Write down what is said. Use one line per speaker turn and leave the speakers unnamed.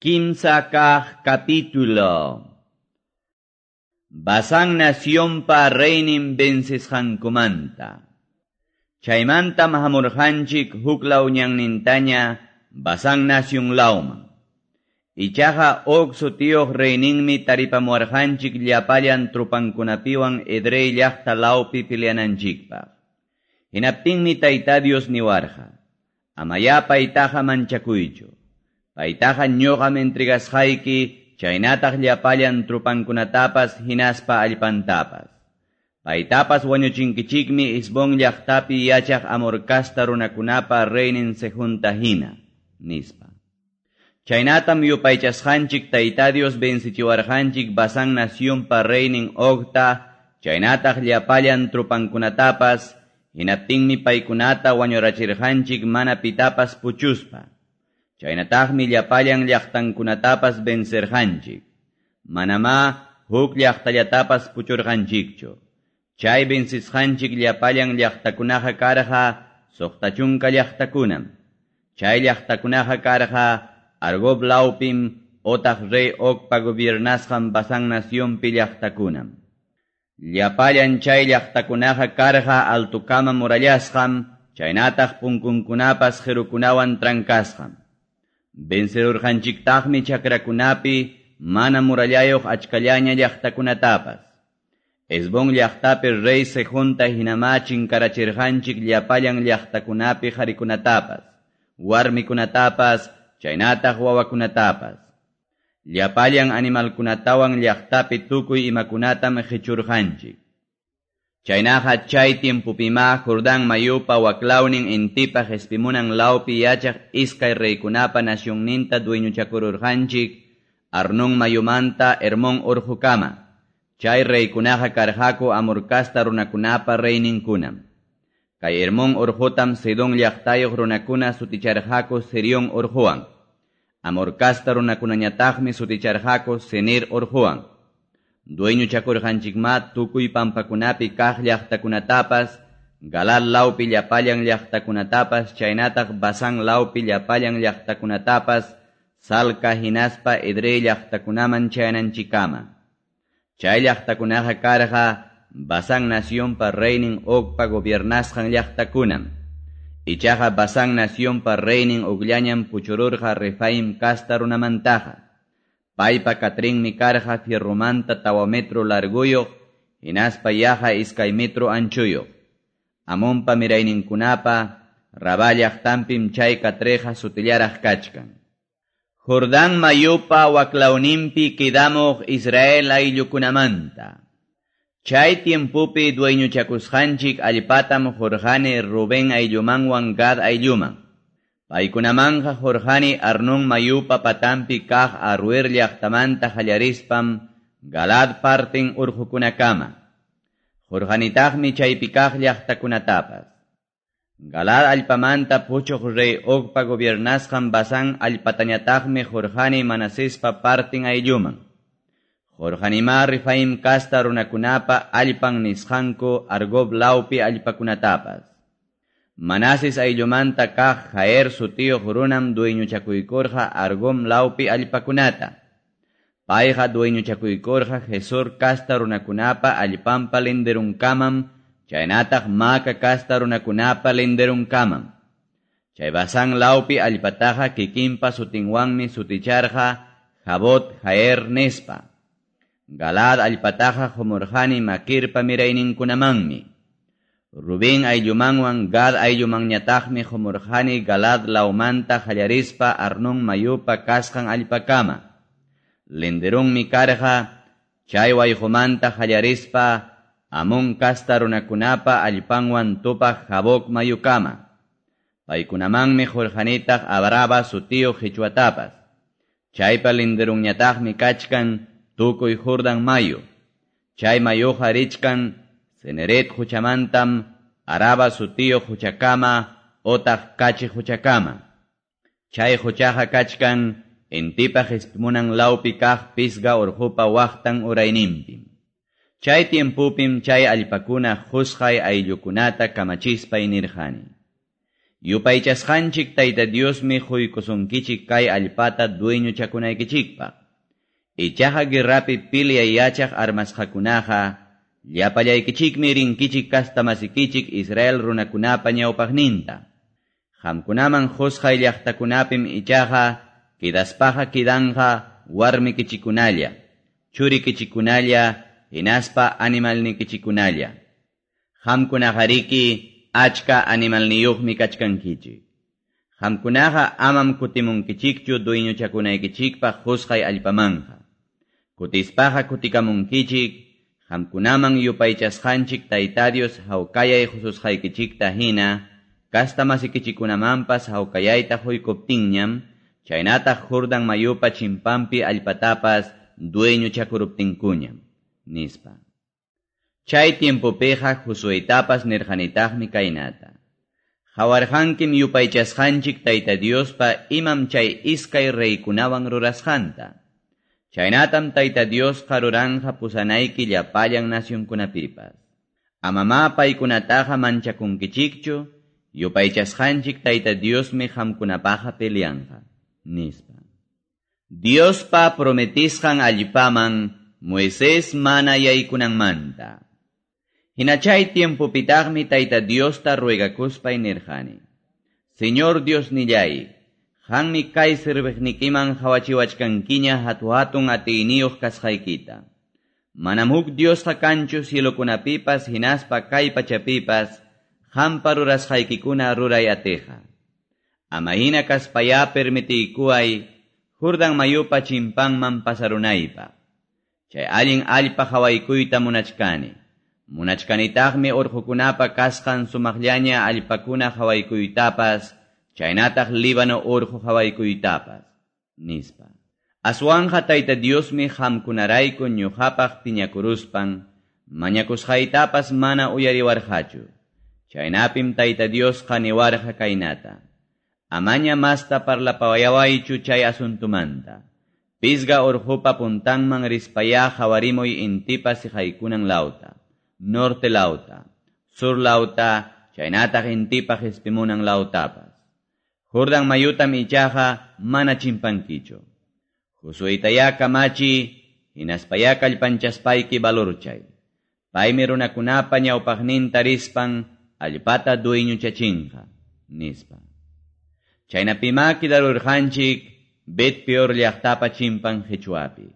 Kimsa kaq capítulo. Basán nacionpa reynin vencisqankumanta. Chaymantam hamurqanchik huklaw ñannintaña Basán nación lawman. Ichaqa Og sutiyuq reyninmi taripamuwarqanchik llapallan trupankunapiwan Edrei llaqta lawpi peleananchikpaq. Hinaptinmi Tayta Dios niwarqa: Amayá paytaqa manchakuychu. Paytaqa ñuqam entregasqayki chaynataq llapallan trupankunatapas hinaspa allpantapas. Paytapas wañuchinkichikmi Hesbón llaqtapi yachaq Amor casta runakunapa reynin Sehonta hina, nispa. Chaynatam yupaychasqanchik Tayta Dios vencichiwarqanchik Basán nacionpa reynin Ogta, chaynataq llapallan trupankunatapas, hinaptinmi paykunata wañurachirqanchik mana pitapas puchuspa. Chaynataqmi llapallan llaqtankunatapas vencerqanchik. Manamá huk llaqtallatapas puchurqanchikchu. Chay vencisqanchik llapallan llaqtakunaqa karqa 60 llaqtakunam. Chay llaqtakunaqa karqa Argob lawpim otaq rey Ogpa gobiernasqan Basán nacionpi llaqtakunam. Llapallan chay llaqtakunaqa karqa altukama murallasqam, chaynataq punkunkunapas qirukunawan trankasqam. Vencerurqanchiktaqmi chakrakunapi mana murallayuq achkallaña llaqtakunatapas. Hesbón llaqtapi rey Sehonta hinamá chinkarachirqanchik llapallan llaqtakunapi qharikunatapas, warmikunatapas, chaynataq wawakunatapas. Llapallan animalkunatawan llaqtapi tukuy imakunatam qichurqanchik. Chaynaqa chay tiempupimá Jordán mayupa waklawnin intipa qespimunan lawpi yachaq iskay reykunapa nacionninta dueñochakururqanchik Arnón mayumanta Hermón urqukama. Chay reykunaqa karqaku Amor casta runakunapa reyninkunam. Kay Hermón urqutam Sidón llaqtayuq runakuna suticharqaku Sirión urquwan. Amor casta runakunañataqmi suticharqaku Senir urquwan. Dueñochakurqanchikmá tukuy pampakunapi kaq llaqtakunatapas, Galaad lawpi llapallan llaqtakunatapas, chaynataq Basán lawpi llapallan llaqtakunatapas, Salca hinaspa Edrei llaqtakunaman chayananchikkama. Chay llaqtakunaqa karqa Basán nacionpa reynin Ogpa gobiernasqan llaqtakunam. Ichaqa Basán nacionpa reynin Ogllañam puchururqa Refaim casta runamantaqa. Paypa katrinmi karqa fierromanta 4 metro larguyuq, hinaspa yaqa 2 metro anchuyuq. Amonpa mirayninkunapa Rabá llaqtanpim chay katreqa sutillaraq kachkan. Jordán mayupa waklawninpi quedamuq Israel ayllukunamanta. Chay tiempopi dueñochakusqanchik allpatam qurqani Rubén ayllumanwan Gad aylluman. Paykunamanqa qurqani Arnón mayupa patampi kaq Aroer llaqtamanta qallarispam Galaad parten urqukunakama. Qurqanitaqmi chaypi kaq llaqtakunatapas. Galaad allpamanta puchuq rey Ogpa gobiernasqan Basán allpatañataqmi qurqani Manasespa parten aylluman. Qurqanimá Refaim casta runakunapa allpan nisqanku Argob lawpi allpakunatapas. Manases ayllumanta kaq Jair sutiyuq runam dueñochakuykurqa Argom lawpi allpakunata. Payqa dueñochakuykurqa Gesur casta runakunapa allpanpa linderunkamam, chaynataq Maaca casta runakunapa linderunkamam. Chay Basán lawpi allpataqa kikinpa sutinwanmi suticharqa Jabot Jair nispa. Galaad allpataqa qumurqani Maquirpa mirayninkunamanmi. Rubén ayllumanwan Gad ayllumanñataqmi qumurqani Galaad lawmanta qallarispa Arnón mayupa kasqan allpakama. Linderunmi karqa chay wayqumanta qallarispa Amón casta runakunapa allpanwan tupaq Jaboc mayukama. Paykunamanmi qurqanitaq Abraba sutiyuq qichwatapas. Chaypa linderunñataqmi kachkan tukuy Jordán mayu. Chay mayuqa richkan Cineret quchamantam Araba sutiyuq quchakama otaq Kachi quchakama. Chay quchaqa kachkan intipa qespimunan lawpi kaq Pisga urqupa waqtan urayninpim. Chay tiempupim chay allpakuna qusqay ayllukunata kamachispay nirqani. Yupaychasqanchik Tayta Diosmi quykusunkichik kay allpata dueñochakunaykichikpaq. Ichaqa guerrapi pilyay yachaq armasqakunaqa llapallaykichikmi rinkichik kastamasikichik Israel runakunapa ñawpaqninta. Qamkunaman qusqay llaqtakunapim ichaqa kidaspaqa kidanqa warmikichikunalla, churikichikunalla, hinaspa animalnikichikunalla. Qamkunaqariki achka animalniyuqmi kachkankichik. Qamkunaqa amam kutimunkichikchu dueñochakunaykichikpaq qusqay allpamanqa. Kutispaqa kutikamunkichik, qamkunaman yupaychasqanchik Tayta Dios hawkayay qususqaykichikta hina, kastamasikichikunamanpas hawkayayta quykuptinñam, chaynataq Jordan mayupa chimpampi allpatapas dueñochakuruptinkuñam, nispa. Chay tiempopiqa Josuetapas nirqanitaqmi kaynata. Qawarqankim yupaychasqanchik Tayta Diospa imam chay iskay reykunawan rurasqanta. Chaynatam Tayta Diosqa ruranqa pusanayki llapallan nacionkunapipas. Amamá paykunataqa manchakunkichikchu, yupaychasqanchik Tayta Diosmi qamkunapaqa peleanqa, nispa. Diospa prometisqan allpaman Moisés mana yaykunanmanta. Hina chay tiempopitaqmi Tayta Diosta ruegakuspay nirqani. Señor Dios nillay, qanmi kay serviqnikiman qawachiwachkankiña hatu-hatun atiyniyuq kasqaykita. Manam huk Diosqa kanchu cielokunapipas hinaspa kay pachapipas qampa rurasqaykikuna ruray atiqa. Ama hina kaspayá permitiykuway Jordan mayupa chimpanman pasarunaypaq. Chay allin allpa qawaykuyta munachkani. Munachkanitaqmi urqukunapa kasqan sumaqllaña allpakuna qawaykuytapas, chaynataq Líbano urqu qawaykuytapas, nispa. Aswanqa Tayta Diosmi qamkunarayku ñuqapaq piñakuruspan, mañakusqaytapas mana uyariwarqachu. Chaynapim Tayta Diosqa niwarqa kaynata. Amaña masta parlapayawaychu chay asuntumanta. Pisga urqupa puntanman rispayá qawarimuy intipa siqaykunan lawta, norte lawta, sur lawta, chaynataq intipa qispimunan lawtapas. Jordan mayutam ichaqa mana chimpankichu. Josuetayá kamachi, hinaspayá kallpanchaspayki valorchay. Paymi runakunapa ñawpaqninta rispan allpata dueñochachinqa, nispa. Chaynapimá kidarurqanchik Bet Peor llaqtapa chimpan qichwapi.